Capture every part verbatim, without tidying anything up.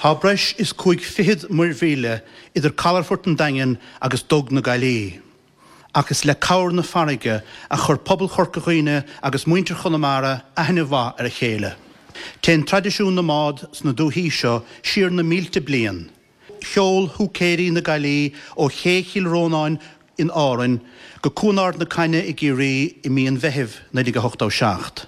Tá breis is cúig fichead muirmhíle idir calafort an Daingin agus Dug na Gaillí. Ach is le cabhair na farraige a chuir pobal Chorca Dhuibhne agus muintir Chonamara aithne mhaith ar a chéile. Téann traidisiún na mbád sna dúichí seo siar na mílte bliain. Sheol húicéirí na Gaillí ó ché Chill Rónáin in Árainn go Cuan Ard na Cainne i gCiarraí i mí an Mheithimh naoi déag a hochtó seacht.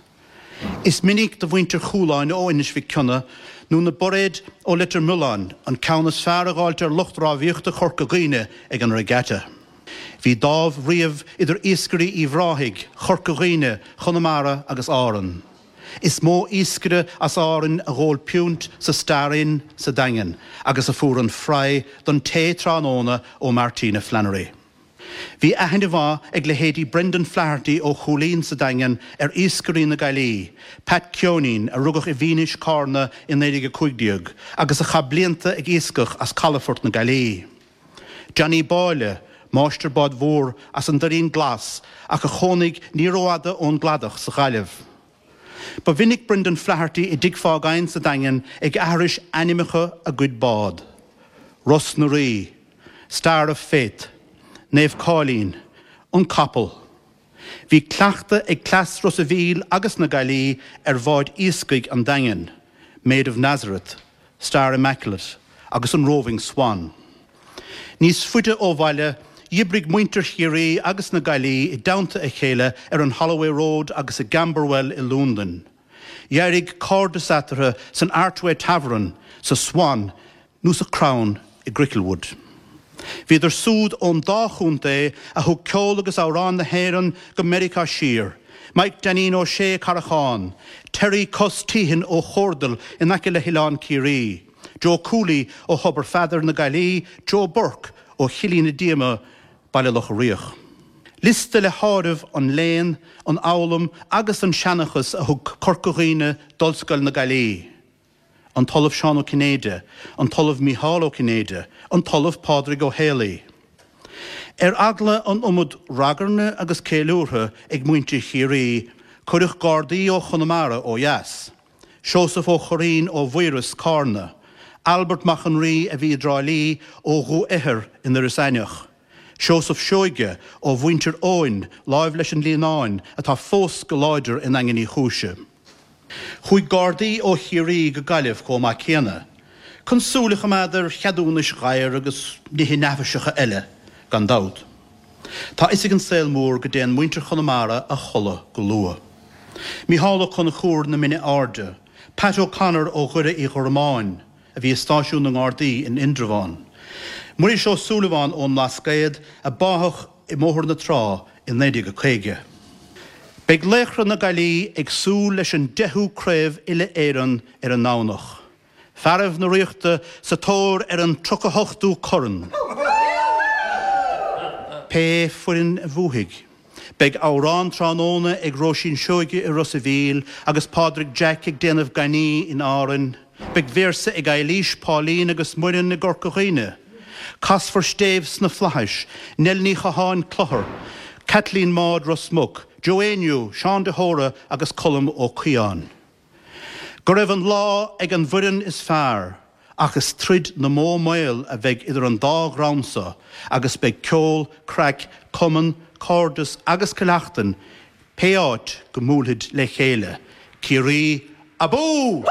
Is minic do mhuintir Chualáin ó Inis Mhic Cionnaith nó na Bairéid ó Leitir Mealláin an ceann is fearr a dh'fháilt ar lucht rámhaíochta Chorca Dhuibhne ag an regatta. Bhí dáimh riamh idir iascairí Uíbh Ráthaigh, Chorca Dhuibhne, Chonamara agus Árann. Is mó iascaire as Árainn a dh'ól piúnt sa Star Inn sa Daingean agus a fuair an fry don tae tráthnóna ó Martina Flannery. Bhí aithne mhaith ag leithéidí Brendan Flaherty ó Chúilín sa Daingean ar iascairí na Gaillí, Pat Ceoinín, a rugadh i bhFínis, Carna i naoi déag a cúig déag agus a chaith blianta ag iascach as calafort na Gaillí. Johnny Báille, máistir báid mhór as an Doirín Glas ach a chónaigh ní rófhada ón gcladach sa Ghaillimh. Ba mhinic Brendan Flaherty i dTigh Phágáin sa Daingean ag aithris ainmneacha a gcuid bád, Ros na Rí, Star of Faith, Naomh Cáilín, An Capall. Bhí cleachtadh ag cleas Ros a' Mhíl agus na Gaillí ar bháid iascaigh an Daingin, Maid of Nazareth, Star Immaculate agus an Roving Swan. Níos faide ó bhaile, dh'oibrigh muintir Chiarraí agus na Gaillí i dteannta a chéile ar an Holloway Road agus i gCamberwell i Londain. D'éirigh cairdeas eatarthu san Archway Tavern, sa Swan nó sa Crown i gCricklewood. Bhíodar súd ón dá chontae a thug ceol agus amhráin na hÉireann go Meiriceá siar, Mike Dainín Ó Sé, Carrachán, Terry Cos Teehan ó Chordal in aice le hOileán Ciarraí, Joe Cooley ó Thobar Pheadair na Gaillí, Joe Burke ó Chillín na Díoma, Baile Locha Riach. Liosta le háireamh an léann, an fhoghlaim agus an seanchas a thug Corca Dhuibhne d'Ollscoil na Gaillí. An tOllamh Seán Ó Cinnéide, an tOllamh Mícheál Ó Cinnéide, an tOllamh Pádraig Ó Héalaí. Ar eagla an iomad ragairne agus ceiliúrtha ag muintir Chiarraí, cuireadh Gardaí ó Chonamara ó dheas, Seosamh Ó Curraoin ó Mhaoras, Carna, Albert Mac an Rí a bhí i dTrá Lí ó Dhumha Ithir in Iorras Aithneach, Seosamh Seoige ó mhuintir Eoin láimh leis an Líonáin atá fós go láidir i nDaingean Uí Chúise. Chuaigh Gardaí ó Chiarraí go Gaillimh chomh maith céanna, chun súil a choimeád ar cheadúnais ghadhair agus nithe neafaiseacha eile, gan dabht. Tá fhios ag an saol mór go dtéann muintir Chonamara a chodladh go luath. Mícheál Ó Conchúir na Mine Airde, Pat O'Connor ó Dhoire Uí Ghormáin, a bhí i stáisiún na nGardaí in Indreabhán, Muiris Ó Súilleabháin ón mBlascaod a báthadh i mBóthar na Trá i naoi déag a caoga. Beidh laochra na Gaillí ag súil leis an deichiú craobh uile-Éireann ar an nDomhnach. Fearaibh na Ríochta sa tóir ar an tríocha hochtú corn. Pé foireann a bhuafaidh, beidh amhrán tráthnóna ag Róisín Seoige i Ros a' Mhíl agus Pádraig Jack ag déanamh gainní in Árainn. Beidh véarsa ag Eilís, Pauline agus Muireann i gCorca Dhuibhne. Casfar Stéibh sna Flaithis, Nell Ní Chatháin, Clochar, Caitlín Maude, Ros Muc, Joe Éinniú, Seán de hÓra agus Colm Ó Caodháin. Go raibh an lá ag an bhfoireann is fearr ach is troid na mbó maol a bheidh idir an dá dhream so agus beidh ceol, craic, cumann, cairdeas agus Cill Achtain pé áit go mbuailfid le chéile. Ciarraí abú!